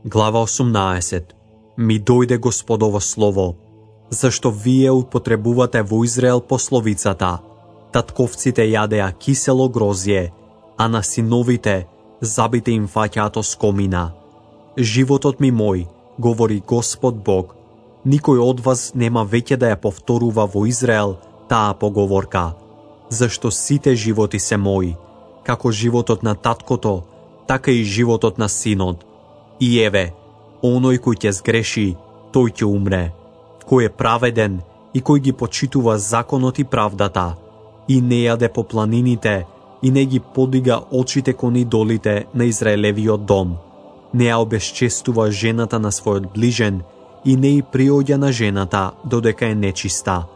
Глава 18. Ми дојде Господово слово, зашто вие употребувате во Израел пословицата: татковците јадеа кисело грозје, а на синовите забите им фаќаат оскомина. Животот ми мој, говори Господ Бог, никој од вас нема веќе да ја повторува во Израел таа поговорка, зашто сите животи се мои, како животот на таткото, така и животот на синот. И еве, оној кој ќе сгреши, тој ќе умре, кој е праведен и кој ги почитува законот и правдата, и не јаде по планините, и не ги подига очите кон идолите на Израелевиот дом, не ја обесчестува жената на својот ближен, и не и приоѓа на жената додека е нечиста.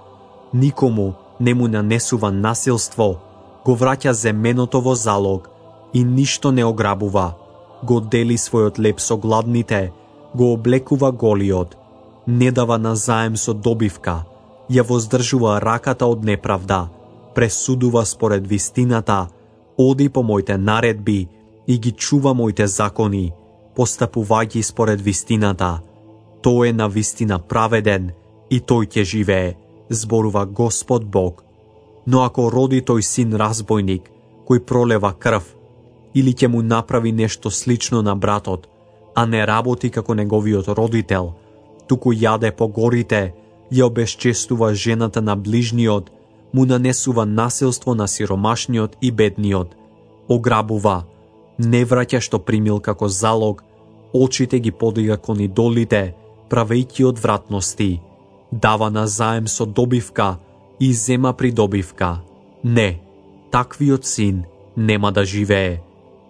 Никому не му нанесува насилство, го враќа земеното во залог и ништо не ограбува, го дели својот леп со гладните, го облекува голиот, не дава назаем со добивка, ја воздржува раката од неправда, пресудува според вистината, оди по моите наредби и ги чува моите закони, постапувајќи според вистината. Тој е на вистина праведен и тој ќе живее, зборува Господ Бог. Но ако роди тој син разбойник, кој пролева крв, или ќе му направи нешто слично на братот, а не работи како неговиот родител, туку јаде по горите, ја обесчестува жената на ближниот, му нанесува насилство на сиромашниот и бедниот, ограбува, не враќа што примил како залог, очите ги подига кон идолите, правејќи одвратности, дава назаем со добивка и зема придобивка. Не, таквиот син нема да живее.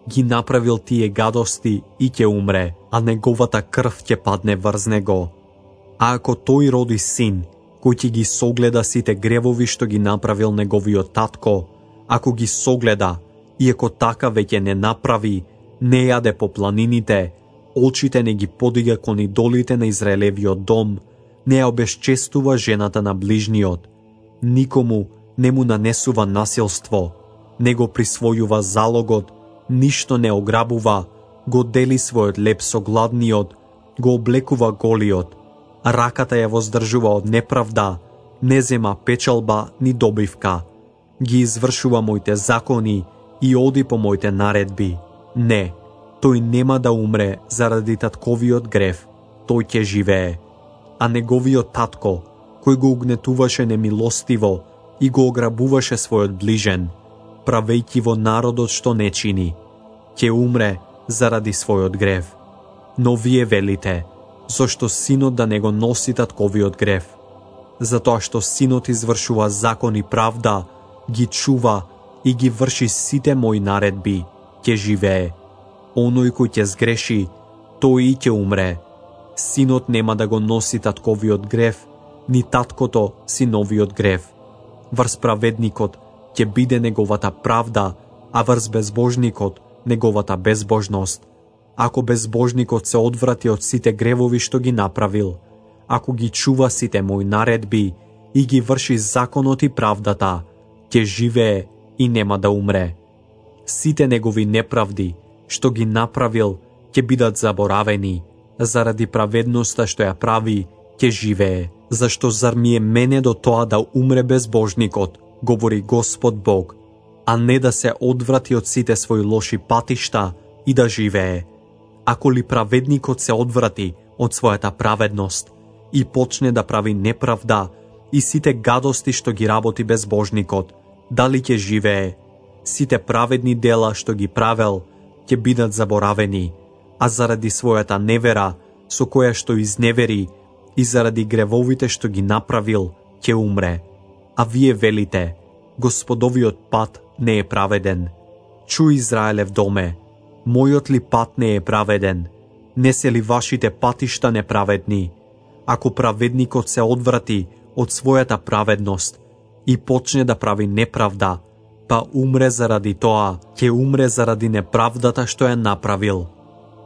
Ги направил тие гадости и ќе умре, а неговата крв ќе падне врз него. А ако тој роди син, кој ќе ги согледа сите гревови што ги направил неговиот татко, ако ги согледа, и ако така веќе не направи, не јаде по планините, очите не ги подига кон идолите на Израелевиот дом, не ја обесчестува жената на ближниот, никому не му нанесува насилство, не го присвојува залогот, ништо не ограбува, го дели својот леп со гладниот, го облекува голиот, раката ја воздржува од неправда, не зема печалба ни добивка, ги извршува моите закони и оди по моите наредби. Не, тој нема да умре заради татковиот грев, тој ќе живее. А неговиот татко, кој го угнетуваше немилостиво и го ограбуваше својот ближен, правејќи во народот што не чини, ќе умре заради својот грев. Но вие велите, зошто синот да не го носи татковиот грев? Затоа што синот извршува закон и правда, ги чува и ги врши сите мои наредби, ќе живее. Оној кој ќе сгреши, тој и ќе умре. Синот нема да го носи татковиот грев, ни таткото синовиот грев. Врз праведникот ќе биде неговата правда, а врз безбожникот неговата безбожност. Ако безбожникот се одврати од сите гревови што ги направил, ако ги чува сите мои наредби и ги врши законот и правдата, ќе живее и нема да умре. Сите негови неправди што ги направил ќе бидат заборавени, заради праведноста што ја прави ќе живее. Зашто зар ми е мене до тоа да умре безбожникот, говори Господ Бог, а не да се одврати од сите своји лоши патишта и да живее. Ако ли праведникот се одврати од својата праведност и почне да прави неправда и сите гадости што ги работи безбожникот, дали ќе живее? Сите праведни дела што ги правел ќе бидат заборавени, а заради својата невера со која што изневери и заради гревовите што ги направил ќе умре. А вие велите, Господовиот пат не е праведен. Чуј, Израелев доме, мојот ли пат не е праведен? Не се ли вашите патишта неправедни? Ако праведникот се одврати од својата праведност и почне да прави неправда, па умре заради тоа, ќе умре заради неправдата што ја направил.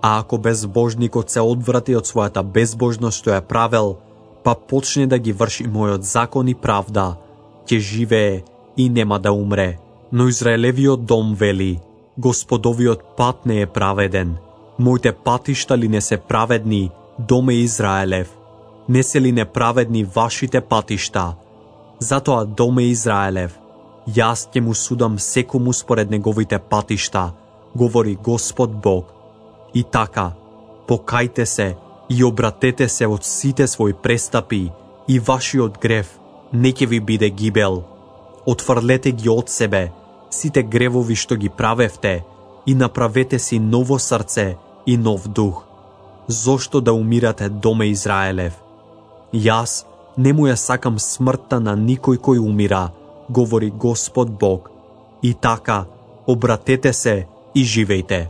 А ако безбожникот се одврати од својата безбожност што ја правел, па почне да ги врши мојот закон и правда, ќе живее и нема да умре. Но Израелевиот дом вели, Господовиот пат не е праведен. Моите патишта ли не се праведни, доме Израелев? Не се ли неправедни вашите патишта? Затоа, доме Израелев, јас ќе му судам секому според неговите патишта, говори Господ Бог. И така, покајте се и обратете се од сите своји престапи и вашиот грев не ќе ви биде гибел. Отфрлете ги од себе сите гревови што ги правевте и направете си ново срце и нов дух. Зошто да умирате, доме Израелев? Јас не му ја сакам смртта на никој кој умира, говори Господ Бог. И така, обратете се и живејте.